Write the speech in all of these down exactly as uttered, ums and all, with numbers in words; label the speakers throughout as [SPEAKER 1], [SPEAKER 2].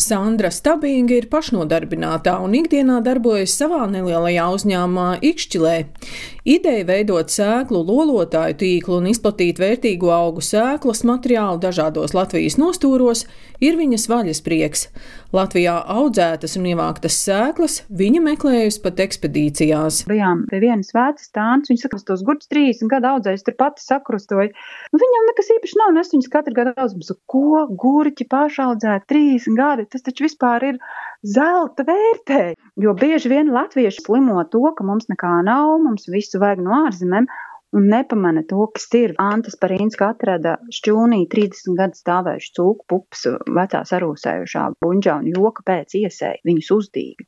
[SPEAKER 1] Sandra Stabinga ir pašnodarbinātā un ikdienā darbojas savā nelielajā uzņēmumā Ikšķilē. Ideja veidot sēklu lolotāju tīklu un izplatīt vērtīgu augu sēklas materiālu dažādos Latvijas nostūros ir viņas vaļasprieks. Latvijā audzētas un ievāktas sēklas viņa meklējusi pat ekspedīcijās.
[SPEAKER 2] Bijām pie vienas vecas tāns, viņa saka, tos gurķus trīsdesmit gadu audzējis, tur pati sakrustoja. Nu, viņam nekas īpaši nav, un es viņas katru gadu audzēju. Ko gurķi pašaudzēt trīsdesmit gadi? Tas taču vispār ir zelta vērtē. Jo bieži vien latvieši slimo to, ka mums nekā nav, mums visu vajag no ārzemēm, un nepamana to, kas ir. Anta Sparīnska atrada šķūnī trīsdesmit gadu stāvējuši cūku pupas vecā sarūsējušā buņģā un joka pēc iesēja viņus uzdīga.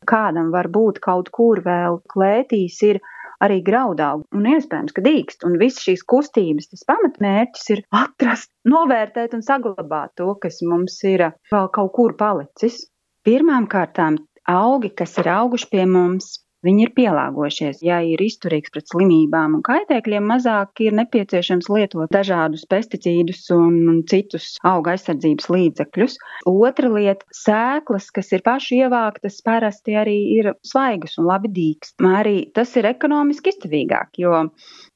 [SPEAKER 2] Kādam var būt kaut kur vēl klētīs ir arī graudaugi, un iespējams, ka dīkst, un visas šīs kustības, tas pamatmērķis ir atrast, novērtēt un saglabāt to, kas mums ir vēl kaut kur palicis. Pirmām kārtām augi, kas ir auguši pie mums, viņi ir pielāgojušies. Ja ir izturīgs pret slimībām un kaitēkļiem, mazāk ir nepieciešams lietot dažādus pesticīdus un citus auga aizsardzības līdzekļus. Otra lieta - sēklas, kas ir paši ievāktas, parasti arī ir svaigas un labi dīkst. Arī tas ir ekonomiski izdevīgāk, jo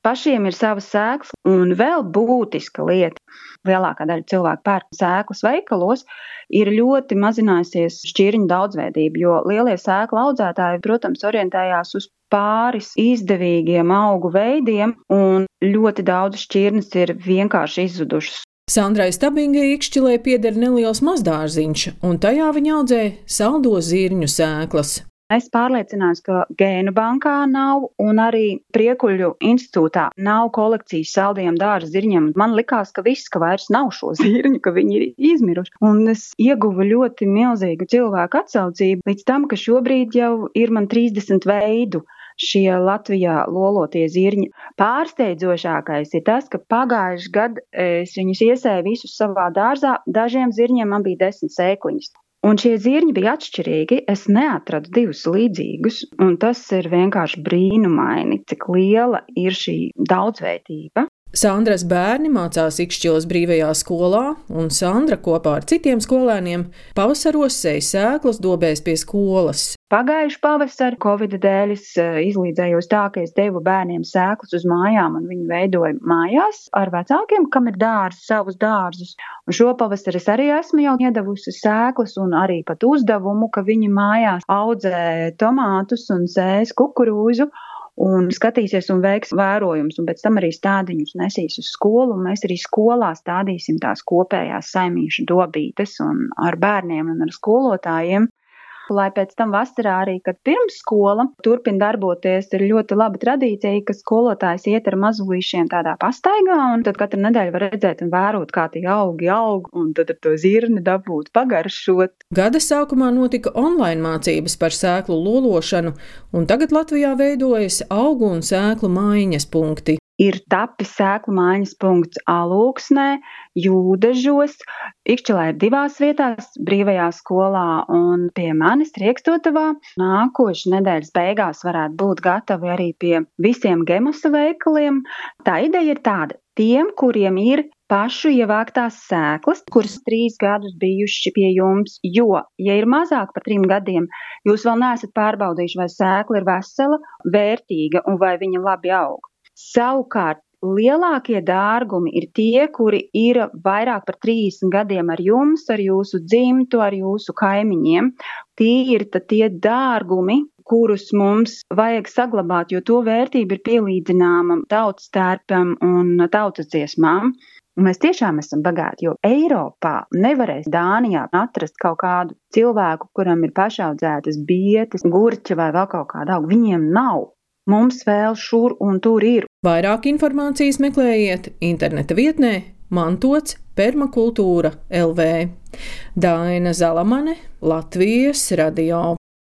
[SPEAKER 2] pašiem ir savas sēklas, un vēl būtiska lieta. Lielākā daļa cilvēku pērk sēklas veikalos, ir ļoti mazinājusies šķirņu daudzveidība, jo lielie sēklu audzētāji, protams, orientējās uz pāris izdevīgiem augu veidiem, un ļoti daudz šķirnes ir vienkārši izzudušas.
[SPEAKER 1] Sandrai Stabingai Ikšķilē pieder neliels mazdārziņš, un tajā viņa audzē saldo zirņu sēklas.
[SPEAKER 2] Es pārliecinājos, ka Gēnu bankā nav un arī Priekuļu institūtā nav kolekcijas saldiem dārza zirņiem. Man likās, ka viss, ka vairs nav šo zirņu, ka viņi ir izmiruši. Un es ieguvu ļoti milzīgu cilvēku atsaucību līdz tam, ka šobrīd jau ir man trīsdesmit veidu šie Latvijā lolotie zirņi. Pārsteidzošākais ir tas, ka pagājuši gadu es viņus iesēju visus savā dārzā, dažiem zirņiem man bija desmit sēkliņas. Un šie zirņi bija atšķirīgi, es neatradu divus līdzīgus, un tas ir vienkārši brīnumaini, cik liela ir šī daudzveidība.
[SPEAKER 1] Sandras bērni mācās Ikšķiles brīvajā skolā, un Sandra kopā ar citiem skolēniem pavasaros sēja sēklas dobēs pie skolas.
[SPEAKER 2] Pagājuši pavasari Covida dēļ es izlīdzējos tā, ka es devu bērniem sēklas uz mājām, un viņi veidoja mājās ar vecākiem, kam ir dārzi, savus dārzus. Un šo pavasari es arī esmu jau iedavusi sēklas un arī pat uzdevumu, ka viņi mājās audzē tomātus un sēs kukurūzu, un skatīsies un veiks vērojumus, un pēc tam arī stādiņus nesīs uz skolu, un mēs arī skolā stādīsim tās kopējās saimīšu dobītes un ar bērniem un ar skolotājiem. Lai pēc tam vasarā arī, kad pirms skola turpina darboties, ir ļoti laba tradīcija, ka skolotājs iet ar mazulīšiem tādā pastaigā, un tad katru nedēļu var redzēt un vērot, kā tie augi aug, un tad ar to zirni dabūt, pagaršot.
[SPEAKER 1] Gada sākumā notika online mācības par sēklu lološanu, un tagad Latvijā veidojas augu un sēklu maiņas punkti.
[SPEAKER 2] Ir tapis sēklu maiņas punkts Alūksnē, Jūdežos, Ikšķilē ir divās vietās, brīvajā skolā un pie manis Riekstotavā. Nākošais nedēļas beigās varētu būt gatavi arī pie visiem Gemosa veikaliem. Tā ideja ir tāda, tiem, kuriem ir pašu ievāktās sēklas, kuras trīs gadus bijuši pie jums, jo, ja ir mazāk par trim gadiem, jūs vēl neesat pārbaudījuši, vai sēkla ir vesela, vērtīga un vai viņa labi aug. Savukārt, lielākie dārgumi ir tie, kuri ir vairāk par trīsdesmit gadiem ar jums, ar jūsu dzimtu, ar jūsu kaimiņiem. Tie ir tie dārgumi, kurus mums vajag saglabāt, jo to vērtība ir pielīdzināma tautas tērpam un tautas dziesmām. Un mēs tiešām esam bagāti, jo Eiropā nevarēs Dānijā atrast kaut kādu cilvēku, kuram ir pašaudzētas bietes, gurķa vai vēl kaut kāda auga. Viņiem nav. Mums vēl šur un tur ir.
[SPEAKER 1] Vairāk informācijas meklējiet interneta vietnē mantots permakultūra L V. Daina Zalamane, Latvijas radio.